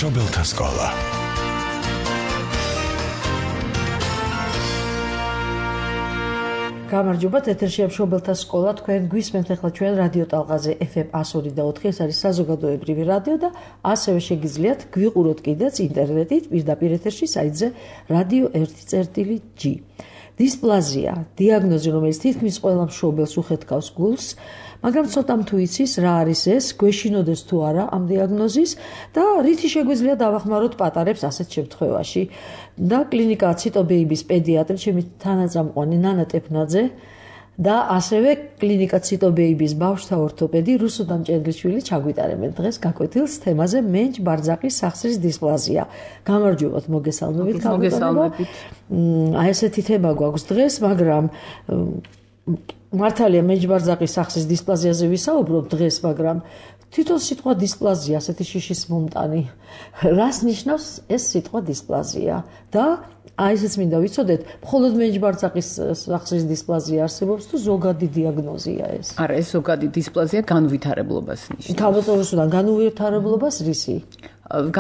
მშობელთა სკოლა. გამარჯობათ, ეთერშია მშობელთა სკოლა. თქვენ გვისმენთ ახლა ჩვენ რადიო ტალღაზე FM 102.4. ეს არის საზოგადოებრივი რადიო და ასევე შეგიძლიათ გვიყუროთ კიდეც ინტერნეტით პირდაპირ ეთერში საიტზე radio 1.g. დისპლაზია, დიაგნოზი, რომელიც თითქმის ყველა მშობელს უხეთქავს გულს, მაგრამ ცოტამ თუ იცის რა არის ეს, გვეშინოდეს თუ არა ამ დიაგნოზის და რითი შეგვიძლია დავახმაროთ პატარებს ასეთ შემთხვევაში. და კლინიკა ციტობეიბის პედიატრი, ჩემი თანაწამყვანი ნანა ტეფნაძე და ასევე კლინიკა ციტობეიბის ბავშვთა ორთოპედი რუსუდან დამჭედლიშვილი ჩაგვიტარებენ დღეს გაკვეთილს თემაზე მენჯ ბარძაყის სახსრის დისპლაზია. გამარჯობათ, მოგესალმებით. აი ესეთი თემა გვაქვს დღეს, მაგრამ მართალია მენჯ ბარძაყის სახსრის დისპლაზიაზე ვისაუბრობ დღეს, მაგრამ თვითონ სიტყვა დისპლაზია, ასეთი შიშის მომტანი. რას ნიშნავს ეს სიტყვა დისპლაზია? და აი ესეც მინდა ვიცოდეთ, მხოლოდ მენჯ ბარძაყის სახსრის დისპლაზია არსებობს თუ ზოგადი დიაგნოზია ეს? არა, ეს ზოგადი დისპლაზია განვითარებლობას ნიშნავს. თავდაპირველად განვითარებლობას რისი?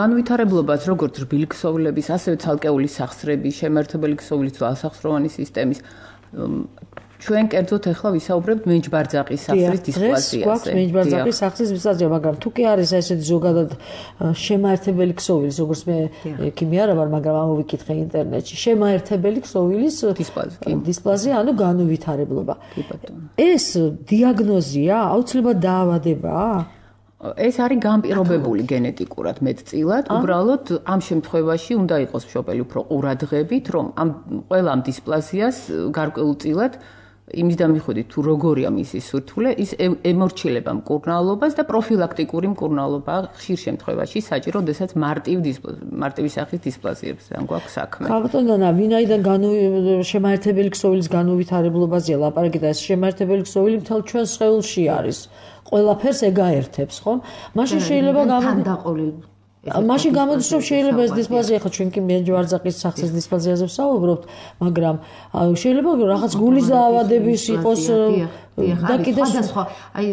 განვითარებლობას როგორც რბილი ქსოვილების, ასევე ცალკეული სახსრების, შემაერთებელი ქსოვილის თუ ასახსროვანი სისტემის. ჩვენ კერძოდ ახლა ვისაუბრებთ მენჯ ბარძაყის სახსრის დისპლაზიაზე. გვაქვს მენჯ ბარძაყის სახსრის დისპლაზია, მაგრამ თუ კი არის ესეთი ზოგადად შემაერთებელი ქსოვილის, როგორც მე ექიმი არა ვარ, მაგრამ ამოვიკითხე ინტერნეტში, შემაერთებელი ქსოვილის დისპლაზია, ანუ განუვითარებლობა. ეს დიაგნოზია, აუცილებლად დაავადებაა? ეს არის განპირობებული გენეტიკურად მეტწილად, უბრალოდ ამ შემთხვევაში უნდა იყოს მშობელი უფრო ყურადღებით, რომ ამ ყველა ამ დისპლაზიას გარკვეულწილად იმის დამიხვედით თუ როგორია მისი სურთულე, ის ემორჩილება მკურნალობას და პროფილაქტიკური მკურნალობა ხშირ შემთხვევაში საჭირო, როდესაც მარტივი სახის დისპლაზიებთან გვაქვს საქმე. ხალხთონა, ვინაიდან შემაერთებელი ქსოვილის განუვითარებლობაზეა ლაპარაკი და ეს შემაერთებელი ქსოვილი მთელ ჩვენ სხეულში არის. ყველაფერს ეგაერთებს, ხო? მაშინ შეიძლება მაშინ გამოდის, რომ შეიძლება ეს დისპლაზია, ხო, ჩვენ კი მენჯ ბარძაყის სახსრის დისპლაზიაზე ვსაუბრობთ, მაგრამ შეიძლება რაღაც გულის დაავადების იყოს და კიდევ სხვა. აი,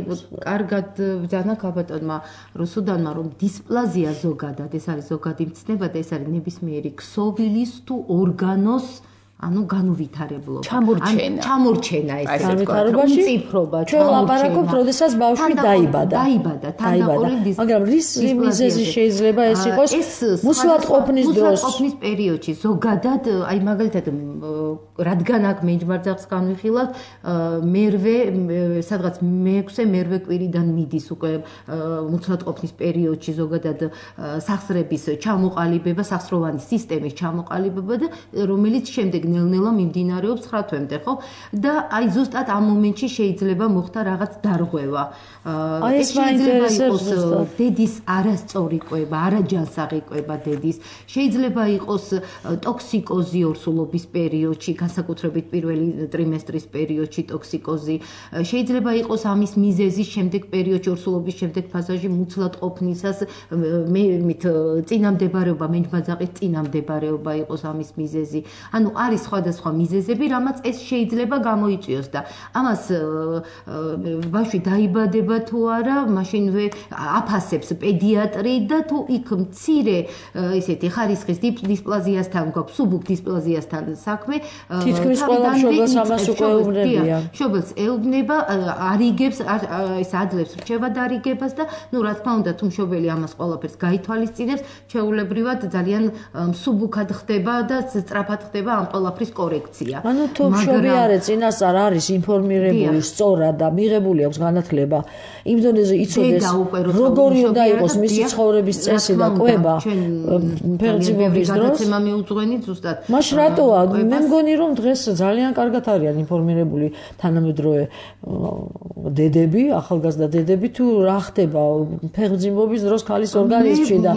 კარგად ბრძანა ქაბატონმა რუსუდანმა, რომ დისპლაზია ზოგადად, ეს არის ზოგადი მცნება და ეს არის ნებისმიერი ქსოვილის თუ ორგანოს ანუ განუვითარებლობა. ჩამორჩენა ეს განვითარებაში. უმციფრობა, ჩვენ ლაპარაკობთ, როდესაც ბავშვი დაიბადა. მაგრამ რის მიზეზი შეიძლება ეს იყოს? მუსლად ყოფნის დროს. მუსლად ყოფნის პერიოდში ზოგადად, აი მაგალითად, რადგან აქ მენჯ ბარძაყს განვიხილავთ, მერვე, სადღაც მე-6 მერვე კვირიდან მიდის უკვე მუსლად ყოფნის პერიოდში ზოგადად სახსრების ჩამოყალიბება, სახსროვანი სისტემის ჩამოყალიბება და რომელიც შემდეგ ნელ-ნელა მიმდინარეობს 9 თვემდე, ხო? და აი ზუსტად ამ მომენტში შეიძლება მოხდა რაღაც დარღვევა. ეს შეიძლება იყოს დედის არასწორი კვება, არაჯანსაღი კვება დედის. შეიძლება იყოს ტოქსიკოზი ორსულობის პერიოდში, განსაკუთრებით პირველი ტრიმესტრის პერიოდში ტოქსიკოზი. შეიძლება იყოს ამის მიზეზი შემდეგ პერიოდში ორსულობის შემდეგ ფაზაში მუცლად ყოფნისას წინამდებარეობა, მენჯ ბარძაყის წინამდებარეობა იყოს ამის მიზეზი. ანუ არის სხვადასხვა მიზეზები, რამაც ეს შეიძლება გამოიწვიოს და ამას ბავშვი დაიბადება თუ არა, მაშინვე აფასებს პედიატრი და თუ იქ მცირე ესეთი ხარისხის დისპლაზიასთან გვაქვს, სუბუქ დისპლაზიასთან საქმე, თითქმის ყველა მშობელს ამას უკვე ეუბნებიან. მშობელს ეუბნება, არიგებს, ეს ადლებს რჩევა დარიგებას და ნუ რა თქმა უნდა, თუ მშობელი ამას ყველაფერს გაითვალისწინებს, ჩვეულებრივად ძალიან სუბუქად ხდება და სწრაფად ხდება ამ ყველაფრის კორექცია. ანუ თუ მშობელი არის წინასწარ არის ინფორმირებული სწორად და მიღებული აქვს განათლება იმ დონეზე იცოდეს როგორი უნდა იყოს მისი ცხოვრების წესი და კვება ფერმის დროს გადაცემა მიუძღვენით ზუსტად. მაშინ რატოა? მე მგონი რომ დღეს ძალიან კარგად არიან ინფორმირებული თანამედროვე დედები, ახალგაზრდა დედები თუ რა ხდება ფერმის დროს ქალის ორგანიზმში და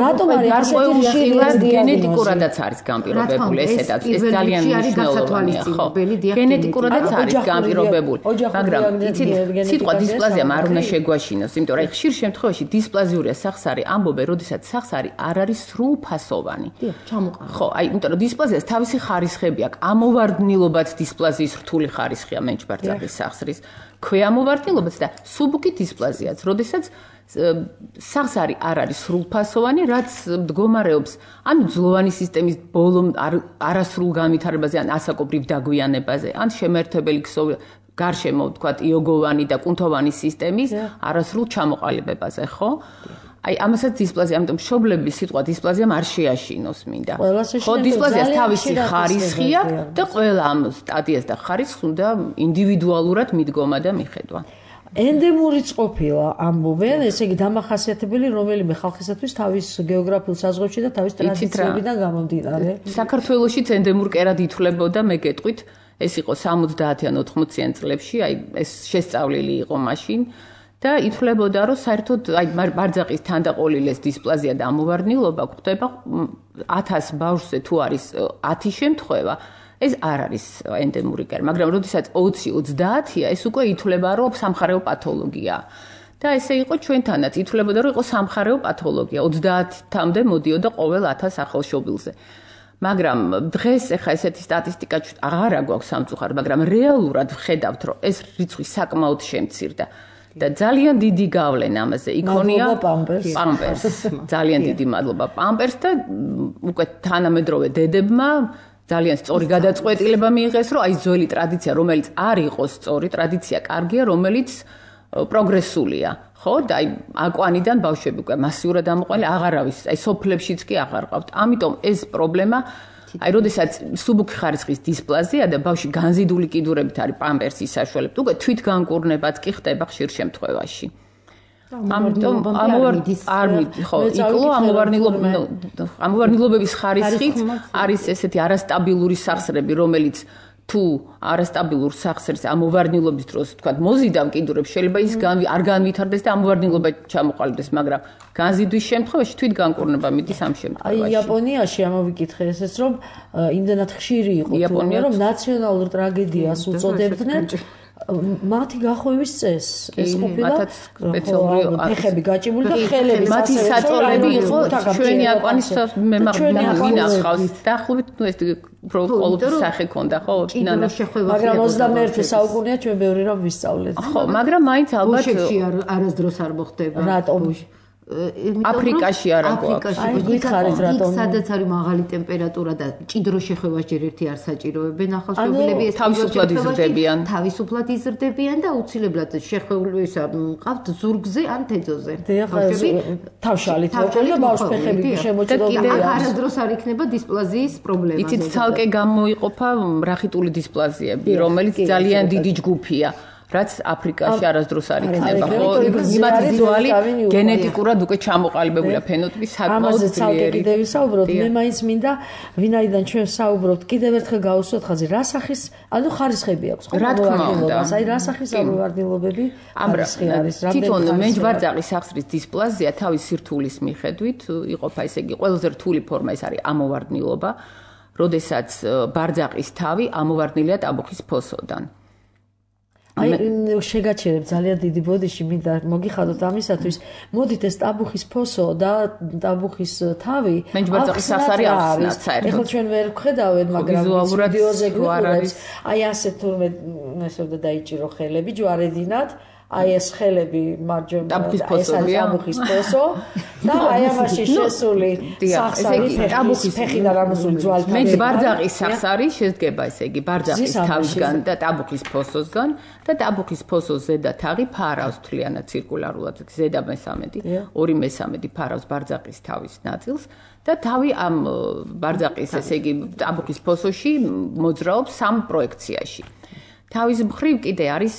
რატომ არის ასეთი გენეტიკურადაც არის განპირობებული ესეც ეს ძალიან მნიშვნელოვანია, ხო? გენეტიკურადაც არის განპირობებული, მაგრამ იცით, სიტყვა დისპლაზია არ უნდა შეგვაშინოს, იმიტომ რომ ხშირ შემთხვევაში დისპლაზიურია სახსარი ამბობენ, როდესაც სახსარი არ არის სრულფასოვანი. ხო, აი, იმიტომ რომ დისპლაზიას თავისი ხარისხები აქვს, ამოვარდნილობაც დისპლაზიის რთული ხარისხია მენჯ ბარძაყის სახსრის, ქვეამოვარდნილობაც და სუბუქი დისპლაზიაც, როდესაც სახსარი არ არის სრულფასოვანი, რაც მდგომარეობს ან ძლოვანი სისტემის ბოლო არასრულ განვითარებაზე, ან ასაკობრივ დაგვიანებაზე, ან შემერთებელი გარშემო, ვთქვათ, იოგოვანი და კუნთოვანი სისტემის არასრულ ჩამოყალიბებაზე, ხო? აი, ამასაც დისპლაზია, ამიტომ მშობლების სიტყვა დისპლაზიამ არ შეაშინოს მინდა. ხო, დისპლაზიას თავისი ხარისხი აქვს და ყველა ამ სტადიას და ხარისხს უნდა ინდივიდუალურად მიდგომა და მიხედვა. ენდემურიც ყოფილა ამბობენ, ესე იგი დამახასიათებელი რომელიმე ხალხისათვის თავის გეოგრაფიულ საზღვრებში და თავის ტრადიციებიდან გამომდინარე. საქართველოშიც ენდემურ კერად ითვლებოდა, მე გეტყვით, ეს იყო 70-ან 80-იან წლებში, აი ეს შესწავლილი იყო მაშინ და ითვლებოდა, რომ საერთოდ აი ბარძაყის თანდაყოლილეს დისპლაზია და ამოვარდნილობა გვხვდება 1000 ბავშვზე თუ არის 10 შემთხვევა. ეს არ არის ენდემური კერა, მაგრამ როდესაც 20-30-ია, ეს უკვე ითვლება, რომ სამხარეო პათოლოგია. და ესე იყო ჩვენთანაც, ითვლებოდა, რომ იყო სამხარეო პათოლოგია. 30-მდე მოდიოდა ყოველ 1000 ახალშობილზე. მაგრამ დღეს ეხა ესეთი სტატისტიკა აღარა გვაქვს სამწუხაროდ, მაგრამ რეალურად ვხედავთ, რომ ეს რიცხვი საკმაოდ შემცირდა. და ძალიან დიდი გავლენა ამაზე იქონია პამპერს. ძალიან დიდი მადლობა პამპერს და უკვე თანამედროვე დედებმა ძალიან სწორი გადაწყვეტილება მიიღეს, რომ აი ძველი ტრადიცია, რომელიც არ იყოს სწორი, ტრადიცია კარგია, რომელიც პროგრესულია. ხო, და აი აკვანიდან ბავშვები უკვე მასიურად ამოყვანილი აღარავის, აი სოფლებშიც კი აღარ ყავთ. ამიტომ ეს პრობლემა აი როდესაც სუბუქი ხარისხის დისპლაზია და ბავშვი განზიდული კიდურებით არის პამპერსის საშუალებით, უკვე თვითგანკურნებაც კი ხდება ხშირ შემთხვევაში. ამიტომ ამოვარდნილობების ხარისხით არის ესეთი არასტაბილური სახსრები, რომელიც თუ არასტაბილურ სახსრებს ამოვარდნილობის დროს, თქვათ, მოზიდა მყიდურებს, შეიძლება ის არ განვითარდეს და ამოვარდნილობა ჩამოყალიბდეს, მაგრამ განზიდვის შემთხვევაში თვითგანკურნება მიდის ამ შემთხვევაში. აი იაპონიაში ამოვიკითხე ესეც, რომ იმდენად ხშირი იყო, რომ ნაციონალურ ტრაგედიას უწოდებდნენ მათი გახვევის წესს. ეს ყოფილა ფეხები გაჭიმული და ხელები მათი საწოლები იყო ჩვენი აკვანის მინახავს. დაახლოებით ნუ ეს ყოველთვის სახე ქონდა, ხო? მაგრამ 21 საუკუნეა ჩვენ ბევრი რამ ვისწავლეთ. ხო, მაგრამ მაინც ალბათ არასდროს არ მოხდება. რატომ? აფრიკაში არა გვაქვს. აი გითხარით რატომ? სადაც არის მაღალი ტემპერატურა და ჭიდრო შეხევას ჯერ ერთი არ საჭიროებენ ახალშობილები, ეს თავისუფლად იზრდებიან. თავისუფლად იზრდებიან და აუცილებლად შეხვეულისა მყავთ ზურგზე ან თეძოზე. თავშალით მოკლე და ბავშვ ფეხები შემოჭრილია. არასდროს არ იქნება დისპლაზიის პრობლემა. იცით, ცალკე გამოიყოფა რახიტული დისპლაზიები, რომელიც ძალიან დიდი ჯგუფია. რაც აფრიკაში არასდროს არ იქნება, ხო? იმათ ვიზუალი გენეტიკურად უკვე ჩამოყალიბებულია ფენოტიპი საკმაოდ ძლიერი. ვისაუბროთ, მე მაინც მინდა, ვინაიდან ჩვენ საუბრობთ, კიდევ ერთხელ გავუსვათ ხაზი, რა სახის, ანუ ხარისხები აქვს, რა თქმა უნდა. აი რა სახის ამოვარდნილობები ხარისხი არის, თვითონ მეჯბარძაყის სახსრის დისპლაზია თავის სირთულის მიხედვით იყოფა, ესე იგი, ყველაზე რთული ფორმა ეს არის ამოვარდნილობა, როდესაც ბარძაყის თავი ამოვარდნილია ტაბუხის ფოსოდან. აი შეგაჩერებ ძალიან დიდი ბოდიში მინდა მოგიხადოთ ამისათვის. მოდით ეს ტაბუხის ფოსო და ტაბუხის თავი მეჯბარძაყის სახსარი ახსნათ საერთოდ. ეხლა ჩვენ ვერ ვხედავთ, მაგრამ ვიდეოზე გვიყურებს. აი ასე თურმე ესე უნდა დაიჭირო ხელები ჯვარედინად. აი ეს ხელები მარჯვენა ეს არის ტაბუხის ფოსო და აი ამაში შესული სახსარი ფეხიდან ამოსული ძვალთან. მეჯბარძაყის სახსარი შედგება, ესე იგი, ბარძაყის თავისგან და ტაბუხის ფოსოსგან და ტაბუხის ფოსოს ზედა თაღი ფარავს თლიანად ცირკულარულად, ზედა მესამედი, 2/3 ფარავს ბარძაყის თავის ნაწილს და თავი ამ ბარძაყის, ესე იგი, ტაბუხის ფოსოში მოძრაობს სამ პროექციაში. თავის მხრივ კიდე არის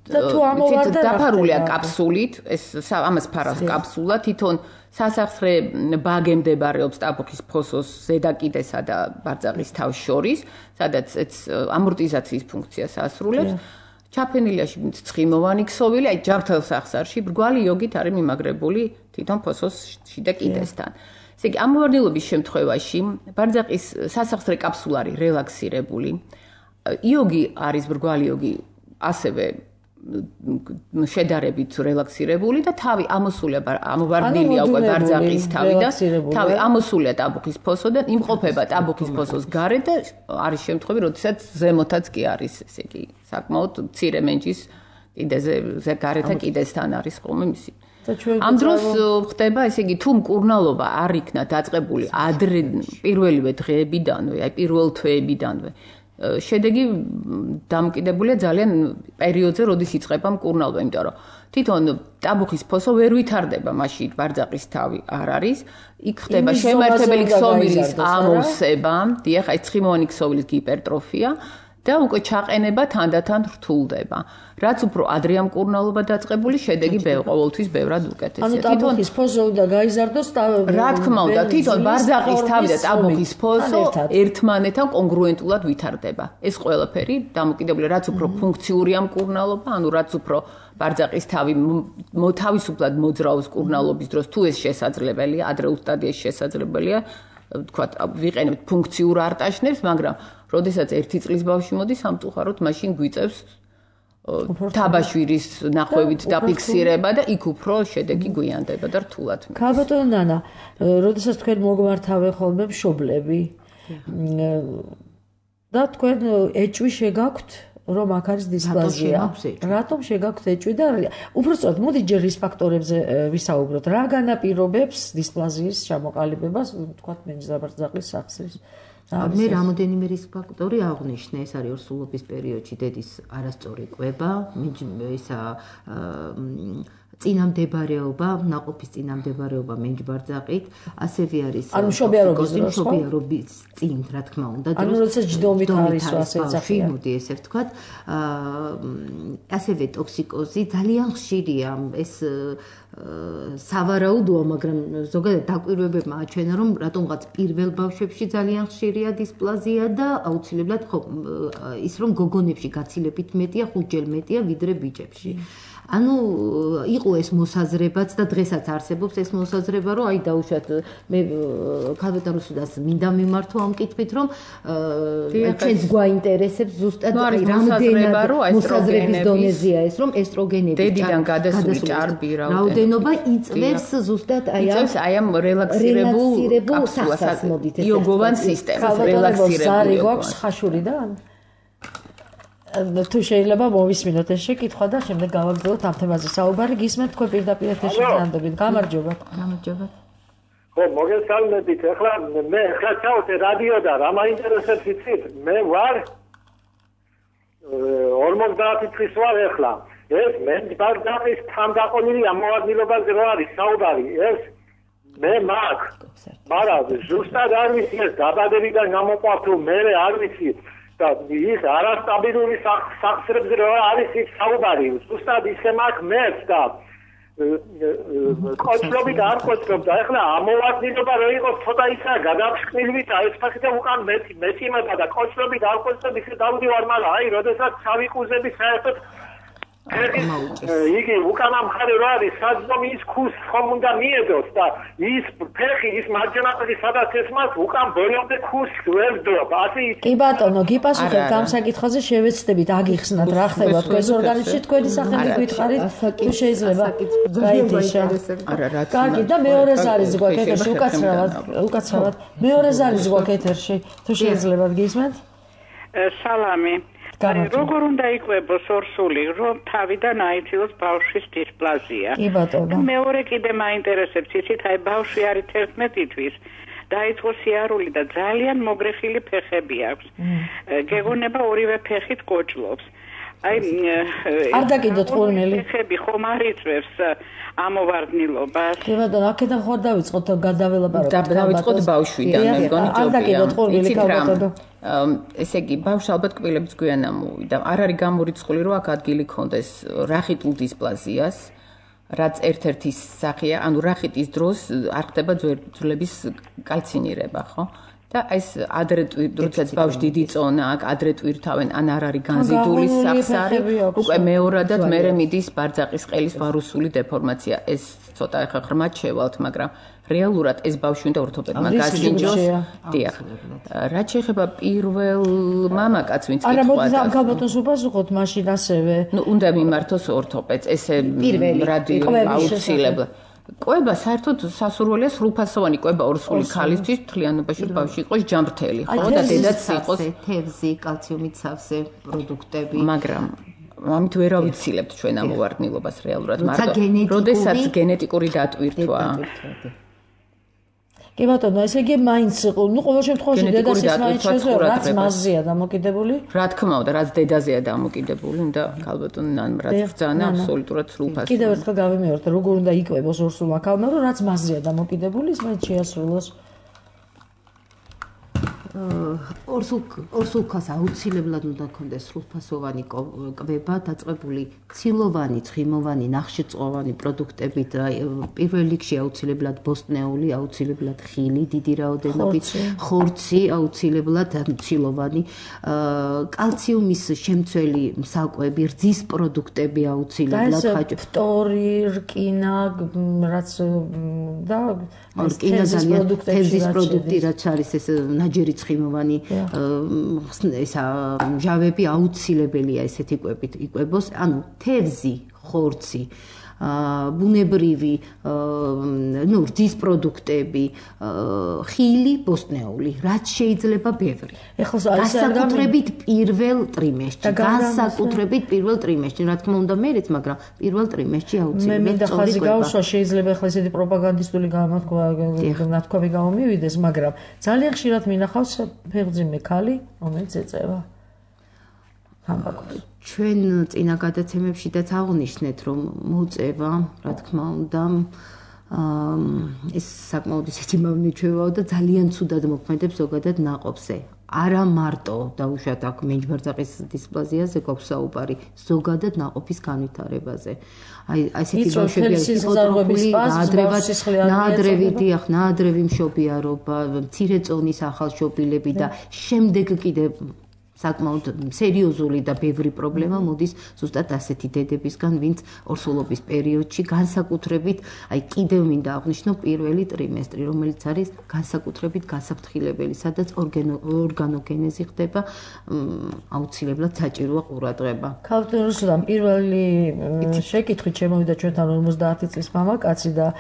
დაფარულია კაფსულით, ეს ამას ფარავს კაფსულა, თვითონ სასახსრე ბაგე მდებარეობს ტაბუხის ფოსოს ზედა კიდესა და ბარძაყის თავის შორის, სადაც ამორტიზაციის ფუნქციას ასრულებს. ჩაფენილია ცხიმოვანი ქსოვილი, აი ჯანმრთელ სახსარში ბრგვალი იოგით არის მიმაგრებული თვითონ ფოსოს შიდა კიდესთან. ესე იგი, ამოვარდნილობის შემთხვევაში ბარძაყის სასახსრე კაფსულა არის რელაქსირებული. იოგი არის ბრგვალი იოგი ასევე შედარებით რელაქსირებული და თავი ამოსულია ამოვარდნილია უკვე ბარძაყის თავიდან, თავი ამოსულია ტაბუხის ფოსოდან, იმყოფება ტაბუხის ფოსოს გარეთ და არის შემთხვევები, როდესაც ზემოთაც კი არის, ესე იგი, საკმაოდ მცირე მენჯის კიდეზე გარეთ და კიდესთან არის ხოლმე მისი ამ დროს ხდება, ესე იგი, თუ მკურნალობა არ იქნა დაწყებული ადრე პირველივე დღეებიდანვე, აი პირველ თვეებიდანვე, შედეგი დამოკიდებულია ძალიან პერიოდზე, როდის იწყება მკურნალობა, იმიტომ რომ თვითონ ტაბუხის ფოსო ვერ ვითარდება, მაშინ ბარძაყის თავი არ არის, იქ ხდება შემართებელი ქსოვილის ამოვსება, დიახ, აი ცხიმოვანი ქსოვილის გიპერტროფია და უკვე ჩაყენება თანდათან რთულდება. რაც უფრო ადრეა მკურნალობა დაწყებული, შედეგი ყოველთვის ბევრად უკეთესია. ანუ ტაბუხის ფოსო უნდა გაიზარდოს რა თქმა უნდა, თვითონ ბარძაყის თავი და ტაბუხის ფოსო ერთმანეთთან კონგრუენტულად ვითარდება. ეს ყველაფერი დამოკიდებულია, რაც უფრო ფუნქციურია მკურნალობა, ანუ რაც უფრო ბარძაყის თავი თავისუფლად მოძრაობს მკურნალობის დროს, თუ ეს შესაძლებელია, ადრეულ სტადიაში შესაძლებელია, თქვათ, ვიყენებთ ფუნქციურ არტაშნებს, მაგრამ როდესაც 1 წლის ბავშვი მოდის სამწუხაროდ, მაშინ გვიწევს თაბაშვირის ნახვევით დაფიქსირება და იქ უფრო შედეგი გვიანდება და რთულად. ქალბატონო ნანა, როდესაც თქვენ მოგმართავე ხოლმე მშობლები და თქვენ ეჭვი შეგაქვთ, რომ აქ არის დისპლაზია. რატომ შეგაქვთ ეჭვი და უბრალოდ მოდი ჯერ ის ფაქტორებზე ვისაუბროთ. რა განაპირობებს დისპლაზიის ჩამოყალიბებას, თქვათ, მენჯდაბარძაყლის სახსრის? მე რამოდენიმე რისკ ფაქტორი აღნიშნე, ეს არის ორსულობის პერიოდში დედის არასწორი კვება, ისა წინამდებარეობა, ნაყოფის წინამდებარეობა მენჯბარძაყით, ასევე არის მშობიარობის წინ, რა თქმა უნდა, ანუ როდესაც ჯდომით არის ასე ეძახიან. მოდი ესე ვთქვათ, ასევე ტოქსიკოზი ძალიან ხშირია, ეს სავარაუდოა, მაგრამ ზოგადად დაკვირვებებმა აჩვენა, რომ რატომღაც პირველ ბავშვებში ძალიან ხშირია დისპლაზია და აუცილებლად ის რომ გოგონებში გაცილებით მეტია, 5-ჯერ მეტია ვიდრე ბიჭებში. ანუ იყო ეს მოსაზრებაც და დღესაც არსებობს ეს მოსაზრება, რომ აი დაუშვათ მე ქალბატონოსუდას მინდა მიმართო ამ კითხვით, რომ ჩვენს გვაინტერესებს ზუსტად აი რამდენად მოსაზრების დონეზეა ეს, რომ ესტროგენები დედიდან გადასული ჭარბი რაოდენობა იწვევს ზუსტად აი ამ რელაქსირებულ კაფსულას მოდით ეს იოგოვან სისტემას რელაქსირებული გვაქვს ხაშურიდან? თუ შეიძლება მოვისმინოთ ეს შეკითხვა და შემდეგ გავაგრძელოთ ამ თემაზე საუბარი. გისმენთ თქვენ პირდაპირ ეთერში განდებით. გამარჯობათ. გამარჯობათ. ხო, მოგესალმებით. ახლა მე ხაჩავთ რადიო და რა მაინტერესებს იცით? მე ვარ 50 წლის ვარ ახლა. ეს მე ბარძაყის თანდაყოლილი ამოვადგილებაზე რო არის საუბარი. ეს მე მაგ. მაგრამ ზუსტად არ ვიცი ეს დაბადებიდან გამოყვა თუ მე არ ვიცი. და ის არასტაბილური სახსრებზე რა არის ის საუბარი. ზუსტად ისე მაქვს მეც და კოჭლობით არ კოჭლობდა. ახლა ამოვადგილება რო იყოს ცოტა ისაა გადაფრთხილვით და ეს ფაქტია უკან მეწიმება და კოჭლობით არ კოჭლობ ისე დავდივარ, მაგრამ აი როდესაც ჩავიყუზები საერთოდ იგი უკანა მხარე რა არის, საძმომ ის ქუს ხომ უნდა მიედოს და ის ფეხი, ის მარჯვენა ფეხი სადაც ესმას, უკან ბოლომდე ქუს ვერ დრობ. ასე კი ბატონო, გიპასუხებთ ამ საკითხზე, შევეცდებით აგიხსნათ რა ხდება თქვენს ორგანიზმში, თქვენი სახელი გვითხარით, თუ შეიძლება. კარგი, და მეორე ზარის გვაქვს ეთერში, უკაცრავად. მეორე ზარის გვაქვს ეთერში, თუ შეიძლება გისმენთ? სალამი. როგორ უნდა იყვებოს ორსული, რომ თავიდან აიწიოს ბავშვის დისპლაზია. კი ბატონო. მეორე კიდე მაინტერესებს ისიც, აი ბავშვი არის 11 თვის. დაიწყო სიარული და ძალიან მოგრეხილი ფეხები აქვს. გეგონება ორივე ფეხით კოჭლობს. აი არ დაკიდოთ ხოლმელი. ფეხები ხომ არ იწვევს ამოვარდნილობას. კი ბატონო, აქედან ხარ დავიწყოთ გადაველაპარაკოთ. დავიწყოთ ბავშვიდან, მე მგონი ჯობია. არ დაკიდოთ ხოლმელი კაბატონო. ესე იგი, ბავშვს ალბათ კბილებიც გვიან ამოვიდა. არ არის გამორიცხული, რომ აქ ადგილი ქონდეს რახიტულ დისპლაზიას, რაც ერთ-ერთი სახეა, ანუ რახიტის დროს არ ხდება ძვლების კალცინირება, ხო? და ეს ადრე როდესაც ბავშვი დიდი წონა აქვს, ადრე ტვირთავენ, ან არ არის განზიდული სახსარი, უკვე მეორადად მერე მიდის ბარძაყის ყელის ვარუსული დეფორმაცია. ეს ცოტა ახლა ღრმად შევალთ, მაგრამ რეალურად ეს ბავშვი უნდა ორთოპედმა გასინჯოს. დიახ. რაც შეეხება პირველ მამაკაცს, ვინც არა, მოდი ამ კაბატონს უპასუხოთ მაშინ ასევე. ნუ უნდა მიმართოს ორთოპედს, ესე აუცილებლად. კვება საერთოდ სასურველია სრულფასოვანი კვება ორსული ქალისთვის მთლიანობაში ბავშვი იყოს ჯამრთელი, ხო და დედაც იყოს თევზი, კალციუმით სავსე პროდუქტები. მაგრამ ამით ვერ ავიცილებთ ჩვენ ამოვარდნილობას რეალურად, მაგრამ როდესაც გენეტიკური დატვირთვა. კი ბატონო, ესე იგი მაინც, ყოველ შემთხვევაში დედასის მაინც შეძლო, რაც მასზეა დამოკიდებული? რა თქმა უნდა, რაც დედაზეა დამოკიდებული, უნდა ქალბატონი რაც ბრძანა აბსოლუტურად სრულფასოვანი. კიდევ ერთხელ გავიმეორებ, როგორ უნდა იკვებოს ორსულმა ქალმა, რომ რაც მასზეა დამოკიდებული, ის მაინც შეასრულოს. ორსულქას აუცილებლად უნდა ქონდეს სრულფასოვანი კვება, დაწყებული ცილოვანი, ცხიმოვანი, ნახშირწყოვანი პროდუქტებით, პირველ რიგში აუცილებლად ბოსტნეული, აუცილებლად ხილი, დიდი რაოდენობით, ხორცი, აუცილებლად ცილოვანი, კალციუმის შემცველი საკვები, რძის პროდუქტები აუცილებლად, ფტორი, რკინა, რაც და თევზის პროდუქტი, რაც არის ეს ნაჯერი ცხიმოვანი ესა ჟავები აუცილებელია ესეთი კვებით იკვებოს, ანუ თევზი, ხორცი, ბუნებრივი, რძის პროდუქტები, ხილი, ბოსტნეული, რაც შეიძლება ბევრი. განსაკუთრებით პირველ ტრიმესტრში, რა თქმა უნდა მერეც, მაგრამ პირველ ტრიმესტრში აუცილებლად. მე მინდა ხაზი გავუსვა, შეიძლება ახლა ესეთი პროპაგანდისტული ნათქვამი გამომივიდეს, მაგრამ ძალიან ხშირად მინახავს ფეხმძიმე ქალი, რომელიც ეწევა თამბაქოს. ჩვენ წინა გადაცემებშიც აღნიშნეთ, რომ მოწევა, რა თქმა უნდა, ეს საკმაოდ ისეთი მავნიჩევაო და ძალიან ცუდად მოქმედებს ზოგადად ნაყოფზე. არა მარტო დაუშვათ აქ მენჯბარძაყის დისპლაზიაზე გვაქვს საუბარი, ზოგადად ნაყოფის განვითარებაზე. აი ესეთი ბავშვები ჰიპოტროფული, ნაადრევი მშობიარობა, მცირე წონის ახალშობილები და შემდეგ კიდევ საკმაოდ სერიოზული და ბევრი პრობლემა მოდის ზუსტად ასეთი დედებისგან, ვინც ორსულობის პერიოდში განსაკუთრებით, აი კიდევ მინდა აღნიშნო პირველი ტრიმესტრი, რომელიც არის განსაკუთრებით გასაფრთხილებელი, სადაც ორგანოგენეზი ხდება, აუცილებლად საჭიროა ყურადღება. ქალბატონ რუსუდან, პირველი შეკითხვით შემოვიდა ჩვენთან 50 წლის მამაკაცი და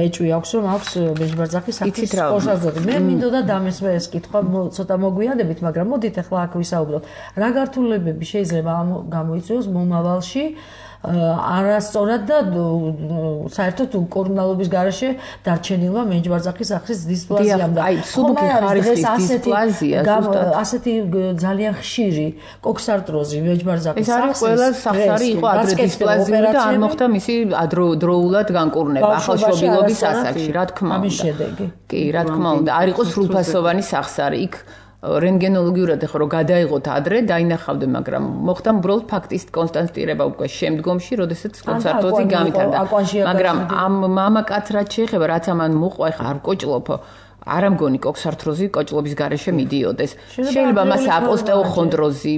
ეჭვი აქვს, რომ აქვს მენჯბარძაყის სახის სპორშაზოდი. მე მინდოდა დამესვე ეს კითხვა, ცოტა მოგვიანებით, მაგრამ მოდით ახლა აქ ვისაუბროთ. რა გართულებები შეიძლება გამოიწვიოს მომავალში არასწორად და საერთოდ კორონალობის გარეშე დარჩენილმა მენჯბარძაყის სახის დისპლაზიამ და აი სუბუქი ხარისხის დისპლაზია ზუსტად ასეთი ძალიან ხშირი კოქსარტროზი მენჯბარძაყის სახის ეს არის ყველა სახსარი იყო ადრე დისპლაზიური და არ მოხდა მისი დროულად განკურნება ახალშობილობის ასაკში, რა თქმა უნდა. ამის შედეგი. კი, რა თქმა უნდა, არ იყო სრულფასოვანი სახსარი. იქ რენტგენოლოგიურად ახლა რომ გადაიღოთ ადრე დაინახავდნენ, მაგრამ მოხდა უბრალოდ ფაქტის კონსტატირება უკვე შემდგომში, როდესაც კონსარტროზი გამიტანდა. მაგრამ ამ მამაკაც რაც შეეხება, რაც ამან მოყვა, ახლა არ ვკოჭლობ, არ ამგონი კოქსარტროზი კოჭლობის გარეშე მიდიოდეს. შეიძლება მას აპოსტეოხონდროზი,